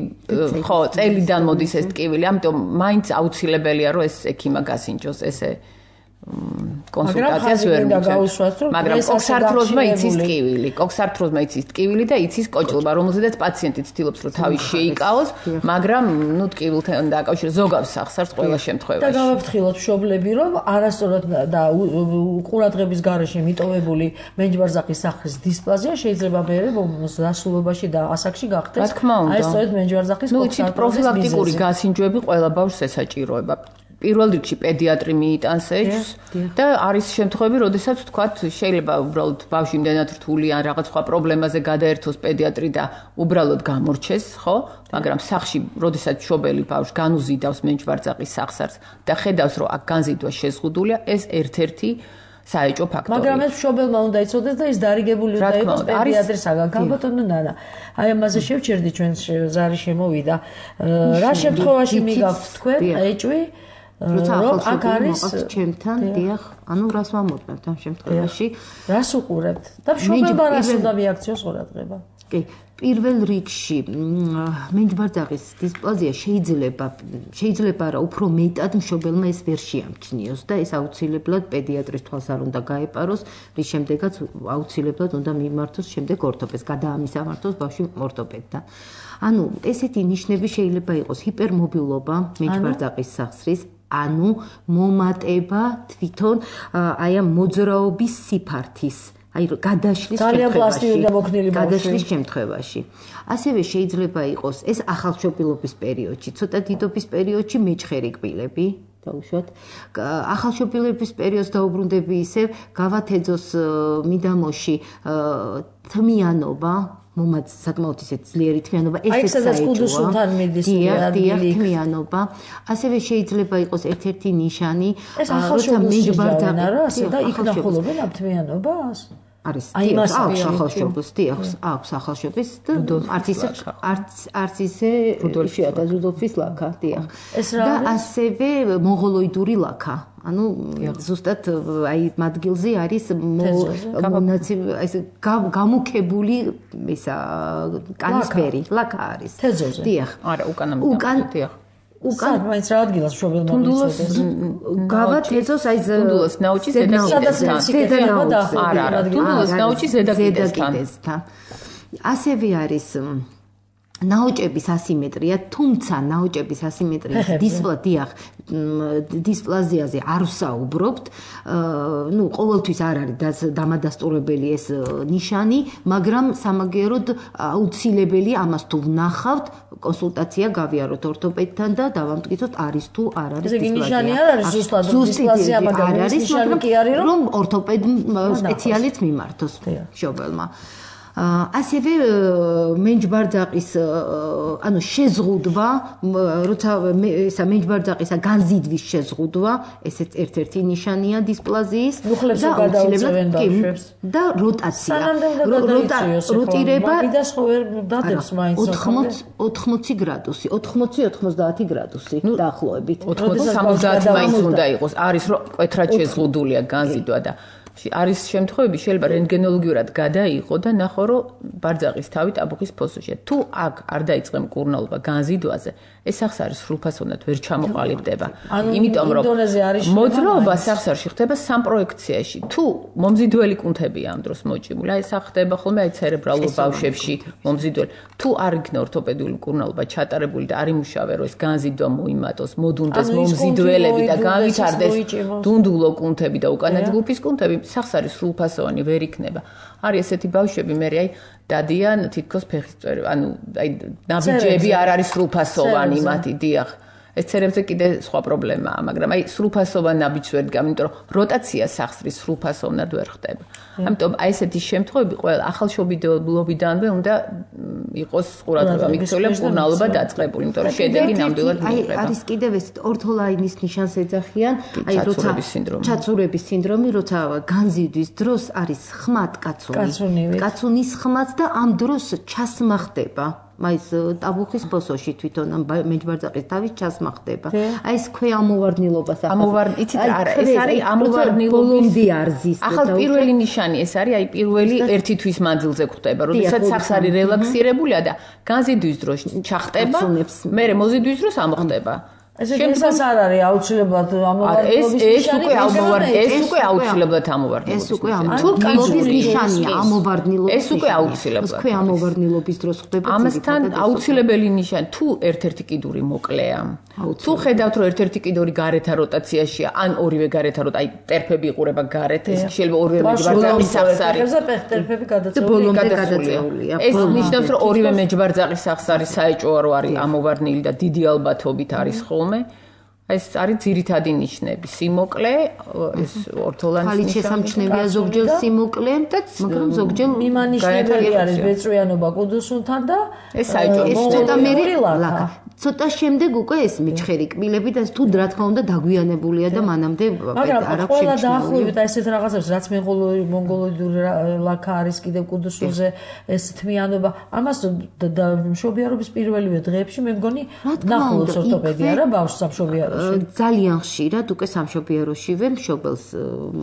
ხო, წელიდან მოდის ეს ტკივილი, ამიტომ მაინც აუცილებელია რომ ეს ექიმა გასინჯოს ესე კონსულტაციას ვერ მიცემ. მაგრამ კოქსარტროზმა იცის ტკივილი და იცის კოჭლობა, რომელზედაც პაციენტი ცდილობს რომ თავი შეიკაოს, მაგრამ ტკივილთან დაკავშირებით ზოგავს სახსარს ყველა შემთხვევაში. და გავაფრთხილოთ მშობლები, რომ არასწორად და ყურადღების გარეშე მიტოვებული მენჯბარძაყის სახის დისპლაზია შეიძლება მერე დასრულობაში და ასაკში გახდეს. რა თქმა უნდა. აი სწორედ მენჯბარძაყის კოქსარტროზის პროფილაქტიკური გასინჯვები ყველა ბავშვს ესაჭიროება. პირველ რიგში პედიატრი მიიტანს ეჭვს და არის შემთხვევები, როდესაც თქვათ შეიძლება უბრალოდ ბავშვი იმდენად რთული ან რაღაც სხვა პრობლემაზე გადაერთოს პედიატრი და უბრალოდ გამორჩეს, ხო? მაგრამ სახში, როდესაც მშობელი ბავშვს განუზიდავს მენჯბარძაყის სახსარს და ხედავს, რომ აქ განზიდვა შეზღუდულია, ეს ერთ-ერთი საეჭვო ფაქტორია. მაგრამ ეს მშობელმა უნდა იცოდეს და ის დარიგებული უნდა იყოს პედიატრისაგან. ქალბატონო ნანა, აი ამაზე შევჩერდი ჩვენ ზარი შემოვიდა. რა შემთხვევაში მიგავთ თქვენ ეჭვი? როცა აქ არის ჩემთან, დიახ, ანუ რას ვამოწმებთ ამ შემთხვევაში? რას უყურებთ? და მშობელმა რას უნდა მიაქციოს ყურადღება? კი, პირველ რიგში მენჯბარძაყის დისპლაზია შეიძლება რა უფრო მეტად მშობელმა ეს ვერ შეამჩნიოს და ეს აუცილებლად პედიატრის თვალს არ უნდა გაეპაროს, რის შემდეგაც აუცილებლად უნდა მიმართოს შემდეგ ორთოპედს, გადაამისამართოს ბავშვი ორთოპედთან. ანუ ესეთი ნიშნები შეიძლება იყოს ჰიპერმობილობა მენჯბარძაყის სახსრის, ანუ მომატება თვითონ აი ამ მოძრაობის სიფართის, აი გადაშლის ძალიან პლასტიკური და მოქნილი ბავშვი. გადაშლის შემთხვევაში. ასევე შეიძლება იყოს ეს ახალშობილობის პერიოდში, ცოტა დიდობის პერიოდში მეჩხერი კბილები. დაუშვათ. ახალშობილების პერიოდს დაუბრუნდები ისევ გავათეძოს მიდამოში თმიანობა, საკმაოდ ისეთ ძლიერი თმიანობა, ესეც საეჭვოა. დიახ, თმიანობა. ასევე შეიძლება იყოს ერთ-ერთი ნიშანი, როცა მეჯბარდაყი და იქნახულობენ ამ თმიანობას? არის აქვს ახალშობილს და არც ისე რუდოლფია ზუდოლფის ლაქა, დიახ. და ასევე მონღოლოიდური ლაქა. ანუ ზუსტად აი მადგილზე არის გამუქებული ისა კანისფერი ლაქა არის. თეზოზე. დიახ. არა, უკან დიახ. უკან მაინც რა ადგილას მშობელმა თუნდულოს გავა თეზოს აი თუნდულოს ნაუჭის ზედაკიდესთან. არა, თუნდულოს ნაუჭის ზედაკიდესთან. ასევე არის ნაოჭების ასიმეტრია, თუმცა ნაოჭების ასიმეტრიის დისპლაზიაზე არ ვსაუბრობთ. ნუ ყოველთვის არ არის დამადასტურებელი ეს ნიშანი, მაგრამ სამაგიეროდ აუცილებელი ამას თუ ვნახავთ, კონსულტაცია გავიაროთ ორთოპედთან და დავამტკიცოთ არის თუ არ არის დისპლაზია. ეს ნიშანი არ არის ზუსტად დისპლაზია, მაგრამ არ არის, მაგრამ კი არის რომ ორთოპედ სპეციალისტს მიმართოს მშობელმა. ასევე მენჯბარძაყის ანუ შეზღუდვა, როცა ისა მენჯბარძაყისა განზიდვის შეზღუდვა, ესეც ერთ-ერთი ნიშანია დისპლაზიის და აუცილებლად და როტაცია. როტირება დადებს მაინც 80 გრადუსი, 80-90 გრადუსი დაახლოებით. 80-70 მაინც უნდა იყოს. არის რომ კვეთრად შეზღუდულია განზიდვა და არის შემთხვევები შეიძლება რენტგენოლოგიურად გადაიღო და ნახო რომ ბარძაყის თავი ტაბუქის ფოსოშია. თუ აქ არ დაიწყე მკურნალობა განზიდვაზე, ეს სახს არის სრულფასოვნად ვერ ჩამოყალიბდება. იმიტომ რომ მოძრაობა სახსარში ხდება სამპროექციაში. თუ მომზიდველი კუნთებია ამ დროს მოჭიმული, აი ეს ხდება ხოლმე აი ცერებრალურ ბავშვებში მომზიდველი. თუ არ იქნა ორთოპედიული მკურნალობა ჩატარებული და არ იმუშავე რომ ეს განზიდვა მოიმატოს, მოდუნდეს მომზიდველები და განვითარდეს დუნდულო კუნთები და უკანა ჯგუფის კუნთები, სახს არის სრულფასოვანი ვერ იქნება. არის ესეთი ბავშვები, მე აი დადიან თითქოს ფეხის წვერი, ანუ აი ნაბიჯები არ არის სრულფასოვანი მათი, დიახ. ეს ცერებზე კიდე სხვა პრობლემაა, მაგრამ აი სრულფასოვანი ნაბიჯს ვერ დგამენ, იმიტომ რომ როტაცია სახსრის სრულფასოვნად ვერ ხდება. ამიტომ აი ესეთი შემთხვევები ყველა ახალშობილობიდანვე უნდა იყოს ყურადღება მიქცეულია მკურნალობა დაწყებული, იმიტომ რომ შედეგი ნამდვილად მიიღება. არის კიდევ ეს ორთოლაინის ნიშანს ეძახიან, აი როცა ჩაცურების სინდრომი, როცა განზიდვის დროს არის ხმად კაცუნის ხმაც და ამ დროს ჩასმა ხდება. მაის ტაბუქის ფოსოში თვითონ მეჯბარძაყის თავის ჩასმა ხდება. აი ეს ქვეამოვარდნილობას იცით არა, ეს არის ამოვარდნილობის არზის. ახალ პირველი ნიშანი ეს არის, აი პირველი ერთი თვის მანძილზე ხდება, როდესაც სახს არის რელაქსირებულია და განზიდვის დროს ჩახტება, მერე მოზიდვის დროს ამოხდება. ეს არ არის აუცილებლად ამოვარდნილობის ნიშანი, ეს უკვე აუცილებლად ამოვარდნილობის. ეს უკვე ამოვარდნილობის ნიშანია, ამოვარდნილობის. ეს უკვე აუცილებლად. ამოვარდნილობის დროს ხდება. ამასთან აუცილებელი ნიშანი, თუ ერთ-ერთი კიდური მოკლეა, თუ ხედავთ რომ ერთ-ერთი კიდური გარეთა როტაციაშია, ან ორივე გარეთა აი ტერფები იყურება გარეთ, ეს შეიძლება ორივე მეჯბარძაყის სახს არის. ტერფები გადაწეულია. ეს ნიშნავს რომ ორივე მეჯბარძაყის სახს არის საეჭვოა რომ არის ამოვარდნილი და დიდი ალბათობით არის ხოლმე. ეს არის ძირითადი ნიშნები. სიმოკლე, ეს ორთოლანის ნიშანი. შესამჩნევია ზოგჯერ სიმოკლე, მაგრამ ზოგჯერ მიმანიშნებელი არის ბეწვიანობა კუდუსუნთან და ეს საეჭვო. ცოტა შემდეგ უკვე ეს მეჩხერი კბილები და თუ რა თქმა უნდა დაგვიანებულია და მანამდე არ აქვს შეჭრილი. დაახლოებით ესეთ რაღაცებს, რაც მონგოლოიდური ლაქა არის კიდევ კუდუსუნზე, ეს თმიანობა, ამას მშობიარობის პირველივე დღეებში მე მგონი ნახულობს ორთოპედია რა ბავშვს სამშობიაროში. ძალიან ხშირად უკვე სამშობიაროშივე მშობელს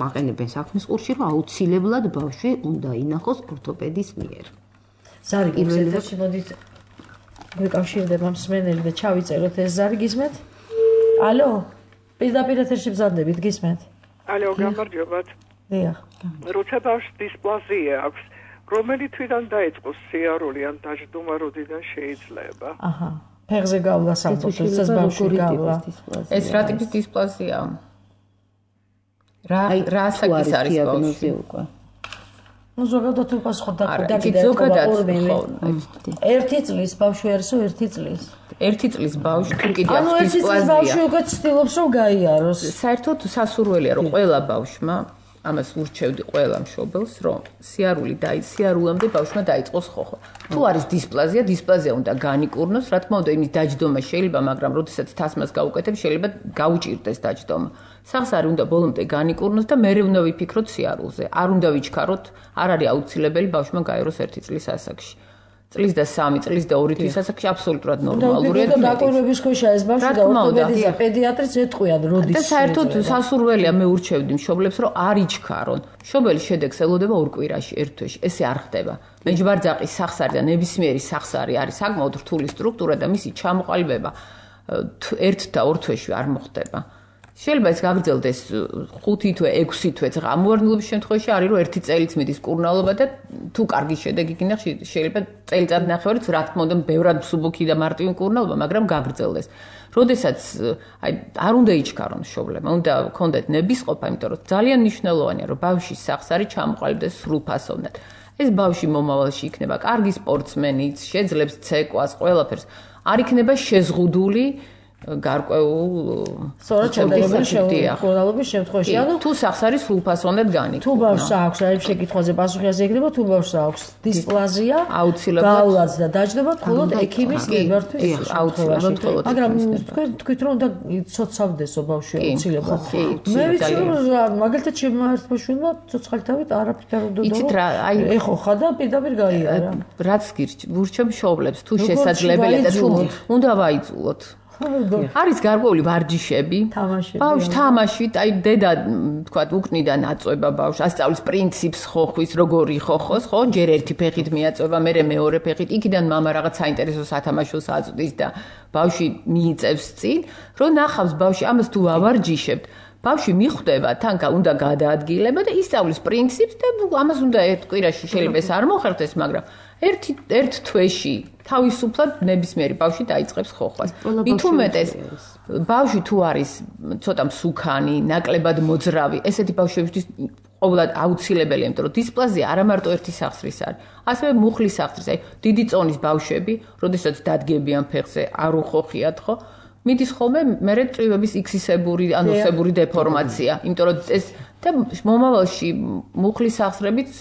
მაყენებენ საქმის ყურში, რომ აუცილებლად ბავშვი უნდა ინახოს ორთოპედის მიერ. ზარი გიზეთში მოდით გვეკავშირდება მსმენელი და ჩავიწეროთ ეს ზარი გისმენთ? ალო? პირდაპირ ეთერში ბრძანდებით, გისმენთ? ალო, გამარჯობათ. დიახ. როცა ბავშვს დისპლაზია აქვს, რომელი თვიდან დაიწყოს სიარული ან დაждума როდიდან შეიძლება? აჰა. ფეხზე გავლა სამწუხაროდ, ეს ბავშვი გავლა. ეს რა ტიპის დისპლაზიაა? რა საკის არის ბავშვი უკვე? ну ზოგადად თუ პასუხად ერთი წლის ბავშვი არისო ერთი წლის ერთი წლის ბავშვი თუ კიდე აქვს დისპლაზია ანუ ბავშვი უკვე ცდილობს რომ გაიაროს საერთოდ სასურველია რომ ყველა ბავშვმა ამას ურჩევდი ყველა მშობელს რომ სიარულამდე ბავშვმა დაიწყოს ხოხო თუ არის დისპლაზია უნდა განიკურნოს რა თქმა უნდა იმის დაჯდომა შეიძლება მაგრამ როდესაც თასმას გაუკეთებს შეიძლება გაუჭირდეს დაჯდომა სახსარი უნდა ბოლომდე განიკურნოს და მერე უნდა ვიფიქროთ სიარულზე არ უნდა ვიჩქაროთ არ არის აუცილებელი ბავშვმა გაეროს 1 წლის ასაკში წლის და 3 წლის და 2 თვის ასაკში აბსოლუტურად ნორმალურია და დაკვირვების ქვეშა ეს ბავშვი და ორთოპედის და პედიატრიც ეტყვიან როდის და საერთოდ სასურველია მე ურჩევდი მშობლებს რომ არ იჩქარონ მშობელი შედეგს ელოდება 2 კვირაში 1 თვეში ესე არ ხდება მეჯბარძაყის სახსარი და ნებისმიერი სახსარი არის საკმაოდ რთული სტრუქტურა და მისი ჩამოყალიბება 1 და 2 თვეში არ მოხდება შეიძლება ეს გაგრძელდეს 5 თვე 6 თვეც ამოვარდნილობის შემთხვევაში არის რომ 1 წელიც მიდის კურნალობა და თუ კარგი შედეგი გინდა შეიძლება წელიწად ნახევარიც რა თქმა უნდა ბევრად მსუბუქი და მარტივი კურნალობა მაგრამ გაგრძელდეს როდესაც არ უნდა იჩქარონ მშობლებმა უნდა ქონდეთ ნებისყოფა იმიტომ რომ ძალიან მნიშვნელოვანია რომ ბავშვის სახსარი ჩამოყალიბდეს სრულფასოვნად ეს ბავშვი მომავალში იქნება კარგი სპორტსმენიც შეძლებს ცეკვას ყველაფერს არ იქნება შეზღუდული გარკვეულ კურნალობის შემთხვევაში ანუ თუ სახსარი სრულფასოვნად განიკურნა თუ ბავშვს აქვს აი შეკითხვაზე პასუხი ასე იქნება თუ ბავშვს აქვს დისპლაზია გაუვაც და დაჯდომა მხოლოდ ექიმის მიმართვის აუცილებლად მაგრამ თქვით რომ უნდა იცოცხლდესო ბავშვი აუცილებლად მე ვიცი რომ მაგალითად ჩემმა ერთმა შვილმა ცოცხალთავით არაფერ არ უნდა იცით რა აი ეხოხა და პირდაპირ გაიარა რაც გურჩევ მშობლებს თუ შესაძლებელია და თუ უნდა ვაიძულოთ არის გარკვეული ვარჯიშები ბავშვი თამაშით აი დედა თქვა უკნიდან აწובה ბავშვს ასწავლის პრინციპს ხოხვის როგორი ხოხოს ხო ჯერ ერთი ფეხით მიაწובה მერე მეორე ფეხით იქიდან მამა რაღაც საინტერესო სათამაშოს აწვდის და ბავშვი მიიწევს წინ რომ ნახავს ბავშვი ამას თუ ავარჯიშებთ ბავშვი მიხვდება თან უნდა გადაადგილება და ისწავლის პრინციპს და ამას უნდა ერთ კვირაში შეიძლება ეს არ მოხერხდეს მაგრამ ერთ თვეში თავისუფლად ნებისმიერი ბავშვი დაიწყებს ხოხვას. მით უმეტეს ბავშვი თუ არის ცოტა მსუქანი, ნაკლებად მოძრავი, ესეთი ბავშვებისთვის ყოველად აუცილებელია, იმიტომ რომ დისპლაზია არა მარტო ერთი სახსრის არის, ასევე მუხლის სახსრის, აი დიდი წონის ბავშვები, როდესაც დადგებიან ფეხზე, არ უხოხიათ, ხო? მიდის ხოლმე მერე წვივების X-ისებური, ანუსებური დეფორმაცია, იმიტომ რომ ეს და მომავალში მუხლის სახსრებით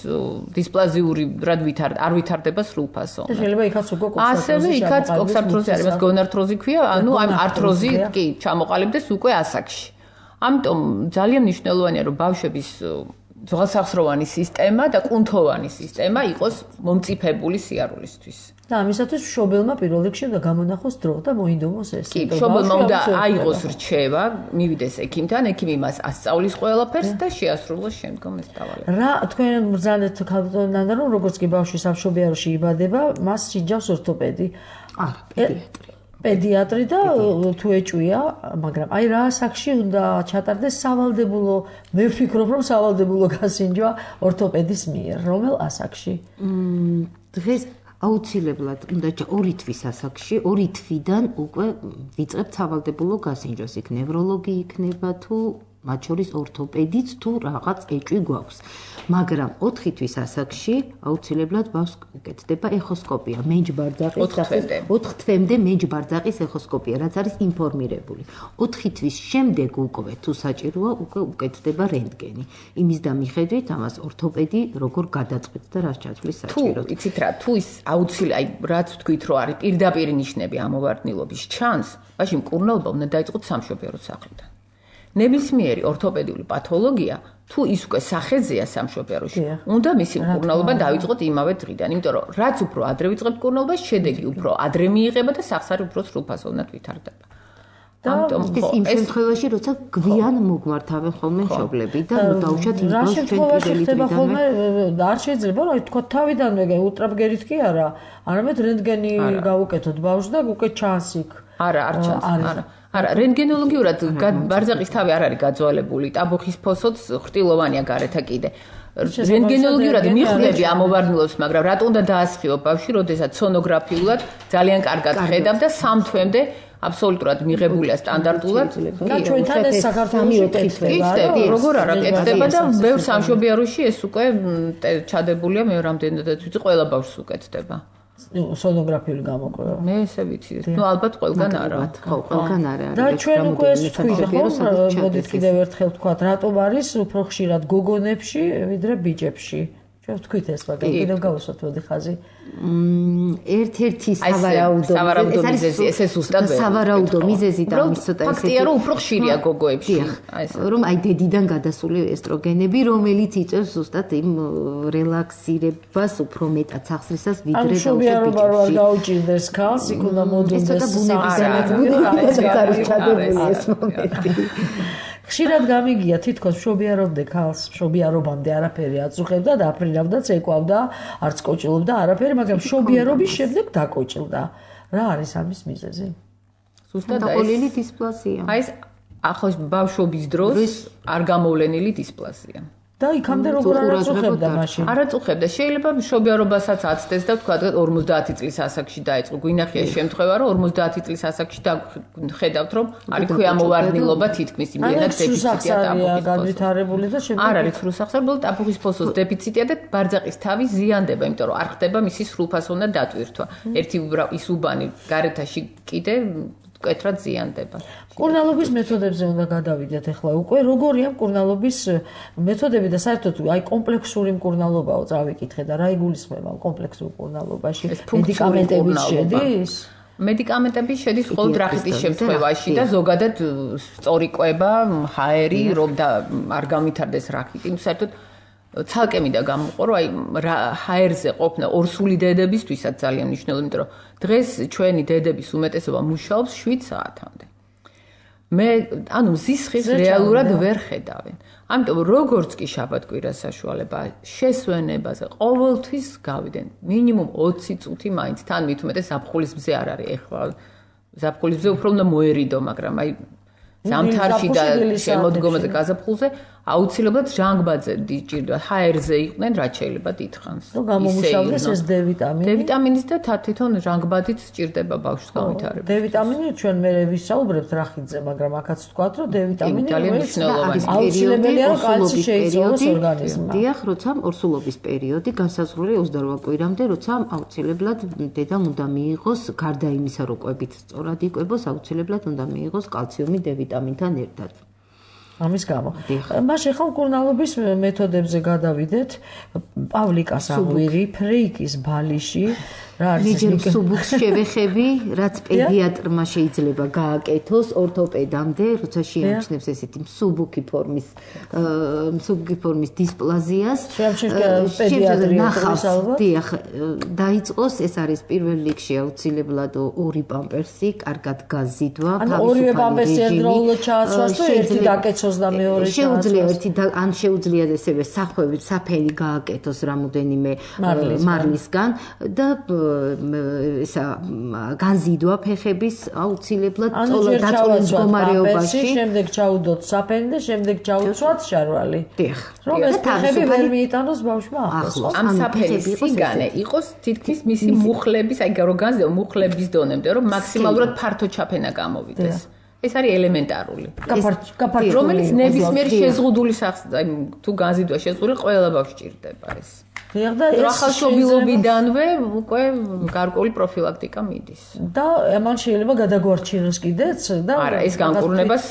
დისპლაზიური რად არ ვითარდება სრულფასო. და შეიძლება იქაც უკვე ასევე იქაც კოქსართროზი არის, მას გონართროზი ქვია, ანუ ამ ართროზი კი ჩამოყალიბდეს უკვე ასაკში. ამიტომ ძალიან მნიშვნელოვანია რომ ბავშვების ძველსახსროვანი სისტემა და კუნთოვანი სისტემა იყოს მომწიფებული სიარულისთვის. და ამისათვის მშობელმა პირველ რიგში უნდა გამონახოს დრო და მოინდომოს ეს. კი, მშობელმა უნდა აიღოს რჩევა, მივიდეს ექიმთან, ექიმი მას ასწავლის ყველაფერს და შეასრულოს შემდგომ ეს დავალება. რა თქვენ ბრძანეთ ქალბატონთან რომ როგორც კი ბავშვი სამშობიაროში იბადება, მას სიჯავს ორთოპედი. პედიატრი და თუ ეჭვია, მაგრამ აი რა ასაკში უნდა ჩატარდეს სავალდებულო, მე ვფიქრობ რომ სავალდებულო გასინჯვა ორთოპედის მიერ, რომელ ასაკში? დღეს აუცილებლად უნდა 2 თვის ასაკში, 2 თვიდან უკვე ვიწყებთ სავალდებულო გასინჯვას, იქ ნევროლოგი იქნება თუ მათ შორის ორთოპედიც თუ რაღაც ეჭვი გვაქვს. მაგრამ 4 თვის ასაკში აუცილებლად ბავშვს უკეთდება ეხოსკოპია, მეჯბარძაყის 4 თვემდე მეჯბარძაყის ეხოსკოპია, რაც არის ინფორმირებული. 4 თვის შემდეგ უკვე თუ საჭიროა, უკვე უკეთდება რენტგენი. იმის და მიხედვით ამას ორთოპედი როგორ გადაწყვეტს და რას ჩათვლის საჭიროდ. თუ იცით რა, თუ ის აუცილებლად, აი რაც თქვით რომ არის პირდაპირ ნიშნები ამოვარდნილობის ჩანს, მაშინ მკურნალობა უნდა დაიწყოთ სამშობიარო სახლიდან. ნებისმიერი ორთოპედიული პათოლოგია თუ ის უკვე სახეზეა სამშობიაროში, უნდა მისი მკურნალობა დაიწყოთ იმავე დღიდან, იმიტომ რომ რაც უფრო ადრე ვიწყებთ მკურნალობას, შედეგი უფრო ადრე მიიღება და სახსარი უფრო სრულფასოვნად ვითარდება. ამიტომ იმ შემთხვევაში, როცა გვიან მოგმართავენ ხოლმე მშობლები და დაუშვათ იმ ბავშვს ჩვენ პირველი დღიდანვე არ შეიძლება რომ თქვა თავიდანვე ულტრაბგერით კი არა, არამედ რენტგენი გავუკეთოთ ბავშვს და უკვე ჩანს იქ. არა, არ ჩანს, არა. არა, რენტგენოლოგიურად ბარძაყის თავი არ არის გაძვალებული, ტაბუხის ფოსოც ხრტილოვანია გარეთა კიდე. რენტგენოლოგიურად მიხდები ამოვარდნილობს, მაგრამ რატო უნდა დაასხიო ბავშვი, როდესაც სონოგრაფიულად ძალიან კარგად ხედავ და 3 თვემდე აბსოლუტურად მიღებულია სტანდარტულად. და ჩვენთან ეს საქართველოში კეთდება, როგორ არა კეთდება და ბევრ სამშობიაროში ეს უკვე ჩადებულია, მე რამდენადაც ვიცი, ყველა ბავშვს უკეთდება. სონოგრაფიული გამოკვლევა. მე ესე ვიცი. ნუ ალბათ ყველგან არა. ხო, ყველგან არა. და ჩვენ უკვე ეს თქვით, მოდით კიდევ ერთხელ ვთქვათ, რატომ არის უფრო ხშირად გოგონებში, ვიდრე ბიჭებში. ჩვენ ვთქვით ეს, მაგრამ კიდევ გავუსვათ მოდი ხაზი. ერთ-ერთი სავარაუდო მიზეზი, ეს ზუსტად სავარაუდო მიზეზი და ამის ცოტა ესეთი ფაქტია, რომ უფრო ხშირია გოგოებში. რომ აი დედიდან გადასული ესტროგენები, რომელიც იწვევს ზუსტად იმ რელაქსირებას, უფრო მეტად სახსრისას ვიდრე ბიჭებში. შობიარობა არ გაუჭირდეს ქალს, იქ უნდა მოდუნდეს. ეს ცოტა ბუნებიდანაც არის ჩადებული ეს მომენტი. ხშირად გამიგია თითქოს მშობიარობდე ქალს, მშობიარობამდე არაფერი აწუხებდა და აფრინავდა, წეკვავდა, არც კოჭილობდა არაფერი, მაგრამ მშობიარობის შემდეგ დაკოჭილდა. რა არის ამის მიზეზი? ზუსტად დაყოლილი დისპლაზია. აი ეს ახლოს ბავშვობის დროს არ გამოვლენილი დისპლაზია. და იქამდე როგორ არაწუხებდა მაშინ? არაწუხებდა. შეიძლება მშობიარობასაც აცდეს და თქვა 50 წლის ასაკში დაიწყო. გვინახია შემთხვევა, რომ 50 წლის ასაკში ხედავთ, რომ არის ქვემოვარდნილობა თითქმის იმდენად დეფიციტია ტაფუხის განვითარებული და შემდეგ არ არის სრულსახსრებული ტაფუხის ფოსოს დეფიციტია და ბარძაყის თავი ზიანდება, იმიტომ რომ არ ხდება მისი სრულფასოვნა დატვირთვა. ერთი ის უბანი გარეთაში კიდე მკვეთრად ზიანდება. მკურნალობის მეთოდებზე უნდა გადავიდეთ ახლა უკვე. როგორია მკურნალობის მეთოდები და საერთოდ აი კომპლექსური მკურნალობაო წავიკითხე და რა იგულისხმება კომპლექსურ მკურნალობაში? მედიკამენტები შედის? მედიკამენტები შედის მხოლოდ რახიტის შემთხვევაში და ზოგადად სწორი კვება, ჰაერი, რომ და არ გამვითარდეს რახიტი. საერთოდ ცალკე მინდა გამოყო, რომ აი ჰაერზე ყოფნა ორსული დედებისთვისაც ძალიან მნიშვნელოვანია, იმიტომ რომ დღეს ჩვენი დედების უმეტესობა მუშაობს 7 საათამდე. მე ანუ ზისხის რეალურად ვერ ხედავენ. ამიტომ როგორც კი შაბათ-კვირას საშუალება შესვენებაზე ყოველთვის გავიდენ მინიმუმ 20 წუთი მაინც თან მით უმეტეს ზაფხულის მზე არ არის ეხლა ზაფხულის მზე უფრო უნდა მოერიდო, მაგრამ აი ზამთარში და შემოდგომაზე გაზაფხულზე აუცილებლად ჟანგბადზე დიჭირდა, ჰაერზე იყვნენ, რაც შეიძლება დიდხანს. რომ გამომუშავდეს ეს D-ვიტამინი. D-ვიტამინის და თვითონ ჟანგბადით სჭირდება ბავშვს გამვითარება. D-ვიტამინი ჩვენ მე ვისაუბრებთ რახიდზე, მაგრამ აქაც ვთქვათ, რომ D-ვიტამინი ძალიან მნიშვნელოვანია. აუცილებელია რომ კალცი შეიცვალოს ორგანიზმმა. დიახ, როცა ორსულობის პერიოდი განსაზღვრულია 28 კვირამდე, როცა აუცილებლად დედამ უნდა მიიღოს გარდა იმისა, რომ კვებით სწორად იკვებოს, აუცილებლად უნდა მიიღოს კალციუმი D-ვიტამინთან ერთად. ამის გამო. მაშინ ხომ მკურნალობის მეთოდებზე გადავიდეთ. პავლიკას აღვირი, ფრეიკის ბალიში, რა არის მე ჯერ სუბუქს შევეხები, რაც პედიატრმა შეიძლება გააკეთოს ორთოპედამდე, როცა შეამჩნევს ესეთი მსუბუქი ფორმის დისპლაზიას. პედიატრიის ალბათ. დიახ, დაიწყოს, ეს არის პირველ რიგში აუცილებლად ორი პამპერსი, კარგად გაზიდვა, ორივე პამპერსი ერთდროულად ჩააცვას და ერთი დაკეცოს და მეორე შეუძლია ერთი ან შეუძლია ესევე სახვევით საფენი გააკეთოს რამოდენიმე მარლისგან და ისა განზიდვა ფეხების აუცილებლად დაწოლის მდგომარეობაში, შემდეგ ჩაუდოთ საფენი და შემდეგ ჩაუცვათ შარვალი. დიახ. რომ ეს ფეხები ვერ მიიტანოს ბავშვმა ახლოს. ამ საფენის სიგანე იყოს თითქმის მისი მუხლების, აი რომ განზიდვა მუხლების დონემდე, რომ მაქსიმალურად ფართო ჩაფენა გამოვიდეს. ეს არის ელემენტარული. რომელიც ნებისმიერ შეზღუდული აი თუ განზიდვა შეზღუდული ყველა ბავშვს ჭირდება ეს. ახალშობილობიდანვე უკვე გარკვეული პროფილაქტიკა მიდის. და ამან შეიძლება გადაგვარჩინოს კიდეც და არა, ეს განკურნებას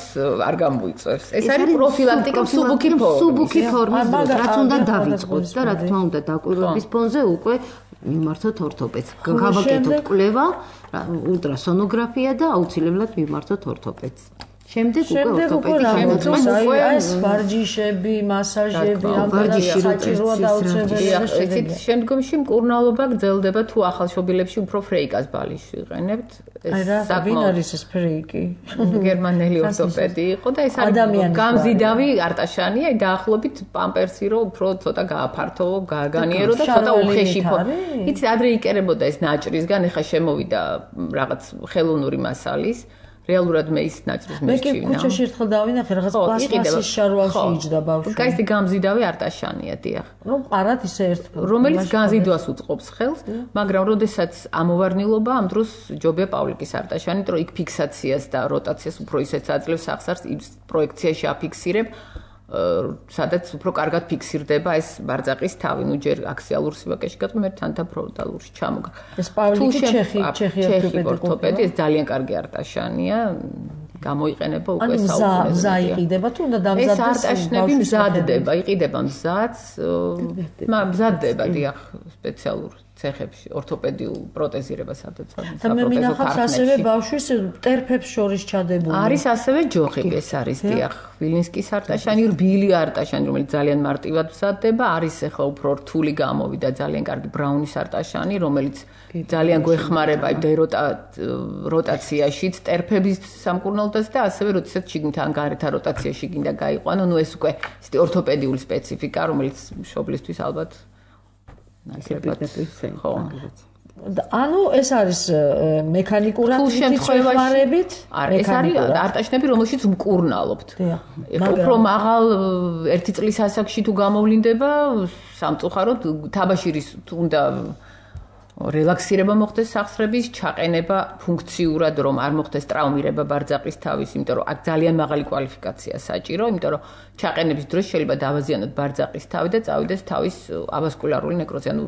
არ გამოიწვევს. ეს არის პროფილაქტიკა მსუბუქი ფორმის, რაც უნდა დავიწყოთ და რა თქმა უნდა დაკვირვების ფონზე უკვე მიმართოთ ორთოპედს. გავაკეთოთ კვლევა, ულტრასონოგრაფია და აუცილებლად მიმართოთ ორთოპედს. შემდეგ უკვე ორთოპედი შემოწმოს ეს ვარჯიშები, მასაჟები, ვარჯიში საჭიროა დაუცველია. შემდგომში მკურნალობა გრძელდება თუ ახალშობილებში უფრო ფრეიკას ბალიში ვიყენებთ. ვინ არის ეს ფრეიკი? გერმანელი ორთოპედი იყო და ეს არის გამზიდავი არტაშანი, აი დაახლოებით პამპერსი რო უფრო ცოტა გააფართო, გააგანიერო და ცოტა უხეშიფო. იცი ადრე იკერებოდა ეს ნაჭრისგან, ეხა შემოვიდა რაღაც ხელოვნური მასალის რეალურად მე ის ნაწრის მისჩივნა. მე კი ქუჩაში ერთხელ დავინახე რაღაც პლასმასის შარვალში იჯდა ბავშვი. კაი გამზიდავი არტაშანია, დიახ. ყარად ისე ერთ. რომელიც განზიდვას უწყობს ხელს, მაგრამ როდესაც ამოვარნილობა ამ დროს ჯობია პავლიკის არტაშანი, რომ იქ ფიქსაციას და როტაციას უფრო ისეც აძლევს სახსარს იმ პროექციაში აფიქსირებ. სადაც უფრო კარგად ფიქსირდება ეს ბარძაყის თავი, ნუ ჯერ აქსიალურ სივაკეში გატყვი, მე თანთა ფრონტალურში ჩამოგა. ეს პავლიკი ჩეხი ორთოპედი, ეს ძალიან კარგი არტაშანია, გამოიყენება უკვე საუკუნეზე. მზა იყიდება თუ უნდა დამზადდეს? ეს არტაშნები მზადდება, იყიდება მზაც, მზადდება დიახ სპეციალურ ცეხებში ორთოპედიულ პროტეზირებას სადაც და მე მინახავს ასევე ბავშვის ტერფებს შორის ჩადებული. არის ასევე ჯოხი, ეს არის დიახ, ვილინსკის არტაშანი, რბილი არტაშანი, რომელიც ძალიან მარტივად მზადდება, არის ახლა უფრო რთული გამოვიდა ძალიან კარგი ბრაუნის არტაშანი, რომელიც ძალიან გვეხმარება იმ როტაციაშიც, ტერფების სამკურნალოდაც და ასევე როდესაც შიგნითან გარეთ როტაციაში გინდა გაიყვანო, ნუ ეს უკვე ისეთი ორთოპედიული სპეციფიკა, რომელიც მშობლისთვის ალბათ ანუ ეს არის მექანიკურად შეხმარებით? ეს არის არტაშნები, რომელშიც მკურნალობთ. უფრო მაღალ 1 წლის ასაკში თუ გამოვლინდება, სამწუხაროდ თაბაშირის უნდა რელაქსირება მოხდეს სახსრების, ჩაყენება ფუნქციურად, რომ არ მოხდეს ტრავმირება ბარძაყის თავის, იმიტომ რომ აქ ძალიან მაღალი კვალიფიკაცია საჭირო, იმიტომ რომ ჩაყენების დროს შეიძლება დავაზიანოთ ბარძაყის თავი და წავიდეს თავის ავასკულარული ნეკროზი, ანუ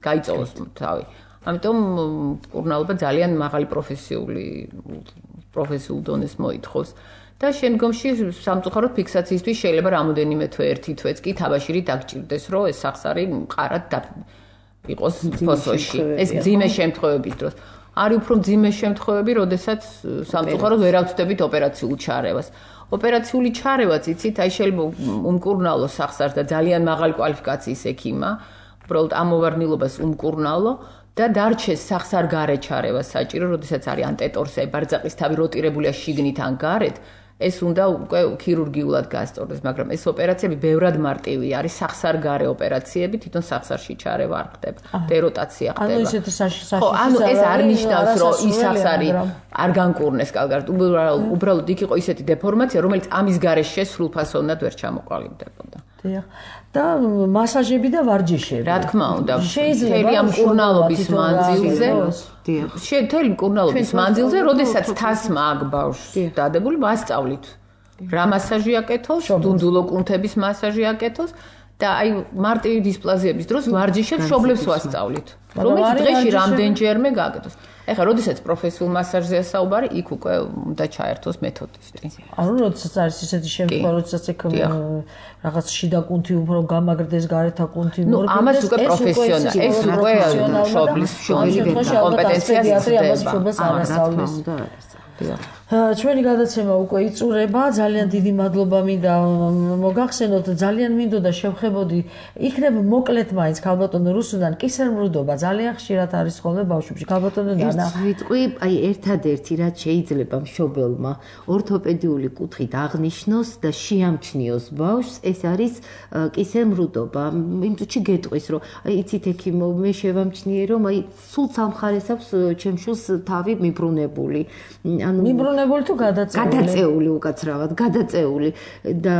გაიწოვოს თავი. ამიტომ მკურნალობა ძალიან მაღალი პროფესიულ დონეს მოითხოვს. და შემდგომში სამწუხაროდ ფიქსაციისთვის შეიძლება რამოდენიმე თვე, 1 თვეც კი თაბაშირი დაგჭირდეს, რომ ეს სახსარი მყარად იყოს ფოსოში. ეს მძიმე შემთხვევების დროს. არის უფრო მძიმე შემთხვევები, როდესაც სამწუხაროდ ვერ ავწდებით ოპერაციულ ჩარევას. ოპერაციული ჩარევაც იცით, აი შეიძლება უმკურნალო სახსარს და ძალიან მაღალი კვალიფიკაციის ექიმა, უბრალოდ ამოვარნილობას უმკურნალო და დარჩეს სახსარ-გარე ჩარევა საჭირო, როდესაც არის ანტეტორსი, ბარძაყის თავი როტირებულია შიგნით ან გარეთ. ეს უნდა უკვე ქირურგიულად გასწორდეს, მაგრამ ეს ოპერაციები ბევრად მარტივია, არის სახსარ-გარე ოპერაციები, თვითონ სახსარში ჩარევა არ ხდება, დეროტაცია ხდება. ანუ ისეთი საშიში. ხო, ანუ ეს არ ნიშნავს, რომ ის სახსარი არ განკურნეს კარგად, უბრალოდ იქ იყო ისეთი დეფორმაცია, რომელიც ამის გარეშე სრულფასოვნად ვერ ჩამოყალიბდებოდა. დიახ. და მასაჟები და ვარჯიშები. რა თქმა უნდა, მთელი ამ მკურნალობის მანძილზე, მთელი მკურნალობის მანძილზე, როდესაც თასმა აქ ბავშვს დადებული, მასწავლით. რა მასაჟი აკეთოს, დუნდულო კუნთების მასაჟი აკეთოს და აი მარტივი დისპლაზიების დროს ვარჯიშებს მშობლებს ვასწავლით. რომელიც დღეში რამდენჯერმე გააკეთოს. ეხლა როდესაც პროფესიულ მასაჟზეა საუბარი, იქ უკვე უნდა ჩაერთოს მეთოდისტი. ანუ როდესაც არის ისეთი შემთხვევა, როდესაც იქ რაღაც შიდა კუნთი უფრო გამაგრდეს, გარეთა კუნთი მორგდეს, ამას უკვე პროფესიონალი, ეს უკვე მშობლის კომპეტენციას იძლევა. ჩვენი გადაცემა უკვე იწურება, ძალიან დიდი მადლობა მინდა მოგახსენოთ, ძალიან მინდოდა შევხებოდი, იქნება მოკლედ მაინც ქალბატონო რუსუდან კისერმრუდობა ძალიან ხშირად არის ხოლმე ბავშვებში. ქალბატონო ნანა, ვიტყვი, აი ერთადერთი რაც შეიძლება მშობელმა ორთოპედიული კუთხით აღნიშნოს და შეამჩნიოს ბავშვს, ეს არის კისერმრუდობა. იმ წუთში გეტყვის, რომ აი იცით ექიმო, მე შევამჩნიე, რომ აი სულ სამხარეს აქვს ჩემს შვილს თავი მიბრუნებული. ანუ მიბრუნებული თუ გადაწეული უკაცრავად, გადაწეული და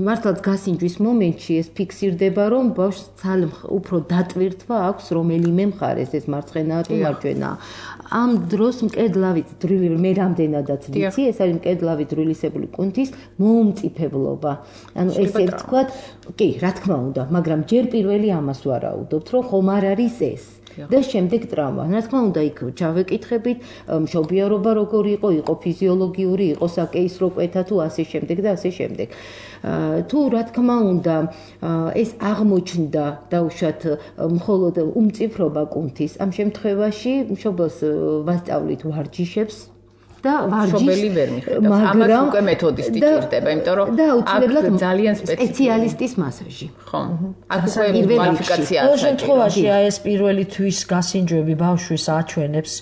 მართლაც გასინჯვის მომენტში ეს ფიქსირდება, რომ ბავშვს ძალიან უფრო დატვირთვა აქვს რომელიმე მხარეს, ეს მარცხენაა თუ მარჯვენაა. ამ დროს მკედლავით დრილი მე რამდენადაც ვიცი, ეს არის მკედლავით დრილისებული კუნთის მოუმწიფებლობა. ანუ ესე ვთქვათ, კი, რა თქმა უნდა, მაგრამ ჯერ პირველი ამას ვარაუდობთ, რომ ხომ არ არის ეს. და შემდეგ ტრავმა. რა თქმა უნდა, იქ ჩავეკითხებით, მშობიარობა როგორი იყო ფიზიოლოგიური, იყო საკეისრო კვეთა თუ ასე შემდეგ და ასე შემდეგ. თუ რა თქმა უნდა, ეს აღმოჩნდა დაუშვათ მხოლოდ უმწიფრობა კუნთის, ამ შემთხვევაში მშობელს ვასწავლით ვარჯიშებს და მშობელი ვერ მიხედავს. ამას უკვე მეთოდისტი ჭირდება, იმიტომ რომ აქ ძალიან სპეციალისტის მასაჟი. ხო. აქ უკვე კვალიფიკაციაა. ყოველ შემთხვევაში აი ეს პირველი თვის გასინჯვები ბავშვის აჩვენებს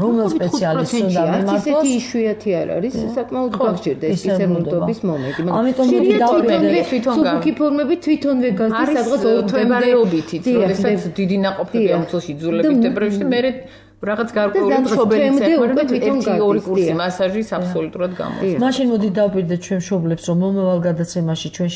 რომელ სპეციალისტს უნდა მიმართოს. ისეთი იშვიათი არ არის, საკმაოდ გაგჭირდა ეს კისერმრუდობის მომენტი. ამიტომ სუბუქი ფორმები თვითონვე გასდის სადღაც თვებარეობითიც, როდესაც დიდი ნაყოფები ამ წელში ძულებით დეპრესიაში, მერე რაღაც გარკვეული მშობელი ცეკვერდა ერთი ორი კურსი მასაჟის აბსოლუტურად გამოდის. მაშინ მოდი დავპირდეთ ჩვენ მშობლებს, რომ მომავალ გადაცემაში ჩვენ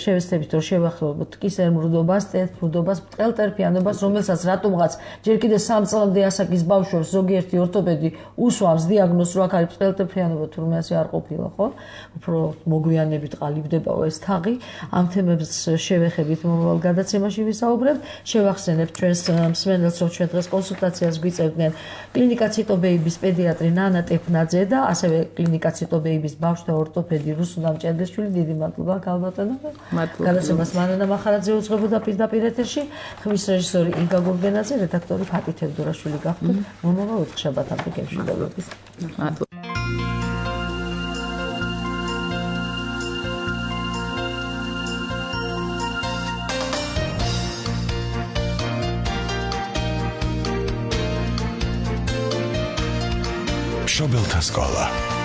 შევეცდებით რომ შევახლებოთ კისერ მრუდობას, ტეტ-მრუდობას, მტყელტერფიანობას, რომელსაც რატომღაც ჯერ კიდევ 3 წლამდე ასაკის ბავშვებს ზოგიერთი ორთოპედი უსვამს დიაგნოზს, რომ აქ არის მტყელტერფიანობა, თურმე ასე არ ყოფილა, ხო? უფრო მოგვიანებით ყალიბდებაო ეს თაღი. ამ თემებს შევეხებით მომავალ გადაცემაში ვისაუბრებთ. შევახსენებთ ჩვენს მსმენელს, რომ ჩვენ დღეს კონსულტაციას გვიწევდნენ კლინიკა ციტობეიბის პედიატრი ნანა ტეფნაძე და ასევე კლინიკა ციტობეიბის ბავშვთა ორთოპედი რუსულა მჭედრიშვილი. დიდი მადლობა ქალბატონო. გადაცემას მანანა მახარაძე უძღვებოდა პირდაპირ ეთერში. ხმის რეჟისორი იგა გურგენაძე, რედაქტორი ფატი თევდორაშვილი გახდა. მომავალ ოთხშაბათამდე გემშვიდობებით. მადლობა. მშობელთა სკოლა